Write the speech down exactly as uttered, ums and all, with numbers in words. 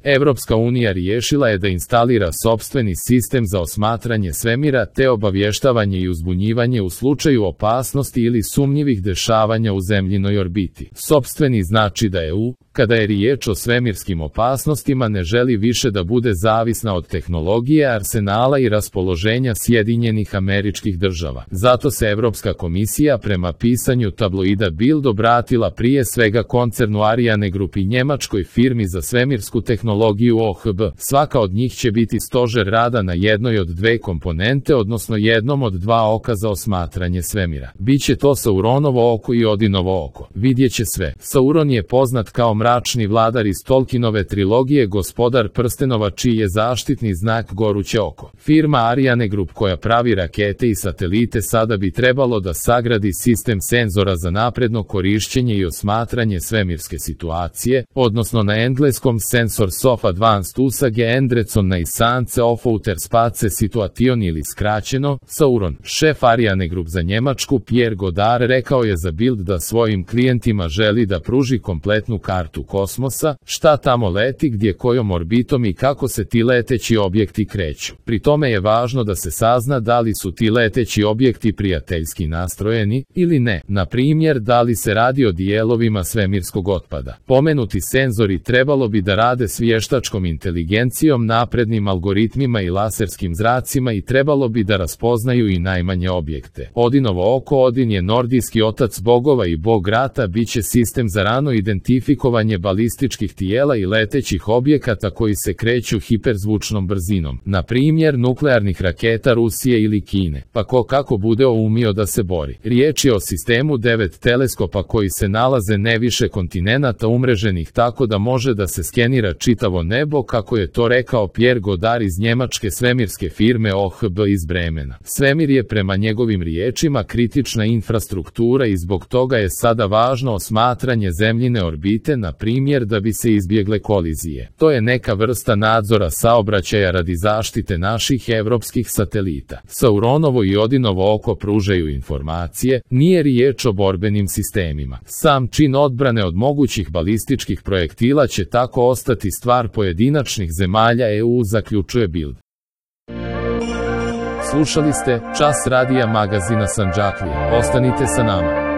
Evropska unija riješila je da instalira sopstveni sistem za osmatranje svemira te obavještavanje i uzbunjivanje u slučaju opasnosti ili sumnjivih dešavanja u zemljinoj orbiti. Sopstveni znači da E U, kada je riječ o svemirskim opasnostima, ne želi više da bude zavisna od tehnologije, arsenala i raspoloženja Sjedinjenih Američkih Država. Zato se Evropska komisija prema pisanju tabloida Bild obratila prije svega koncernu Ariane Group i njemačkoj firmi za svemirsku tehnologiju O H B. Svaka od njih će biti stožer rada na jednoj od dve komponente, odnosno jednom od dva oka za osmatranje svemira. Biće to Sauronovo oko i Odinovo oko. Vidjet će sve. Sauron je poznat kao mračni vladar iz Tolkienove trilogije Gospodar prstenova, čiji je zaštitni znak goruće oko. Firma Ariane Group koja pravi rakete i satelite sada bi trebalo da sagradi sistem senzora za napredno korišćenje i osmatranje svemirske situacije, odnosno na engleskom Sensors of Advanced Usage Endrecon na Isance of Outer Space Situation ili skraćeno Sauron. Šef Ariane Group za Njemačku Pierre Godard rekao je za Bild da svojim klijentima želi da pruži kompletnu kartu kosmosa, šta tamo leti, gdje kojom orbitom i kako se ti leteći objekti kreću. Pri tome je važno da se sazna da li su ti leteći objekti prijateljski nastrojeni ili ne, na primjer da li se radi o dijelovima svemirskog otpada. Pomenuti senzori trebalo bi da rade s vještačkom inteligencijom, naprednim algoritmima i laserskim zracima i trebalo bi da raspoznaju i najmanje objekte. Odinovo oko, Odin je nordijski otac bogova i bog rata, bit će sistem za rano identifikovanje balističkih tijela i letećih objekata koji se kreću hiperzvučnom brzinom, na primjer nuklearnih raketa Rusije ili Kine, pa ko kako bude umio da se bori. Riječ je o sistemu devet teleskopa koji se nalaze ne više kontinenata umreženih tako da može da se skenira čitavo nebo, kako je to rekao Pierre Godard iz njemačke svemirske firme O H B iz Bremena. Svemir je prema njegovim riječima kritična infrastruktura i zbog toga je sada važno osmatranje zemljine orbite, na primjer da bi se izbjegle kolizije. To je neka vrsta nadzora saobraćaja radi zaštite naših evropskih satelita. Sauronovo i Odinovo oko pružaju informacije, nije riječ o borbenim sistemima. Sam čin odbrane od mogućih balističkih projektila će tako ostati stvar pojedinačnih zemalja E U, zaključuje Bild. Slušali ste Čas radija magazina Sandžaklija. Ostanite sa nama.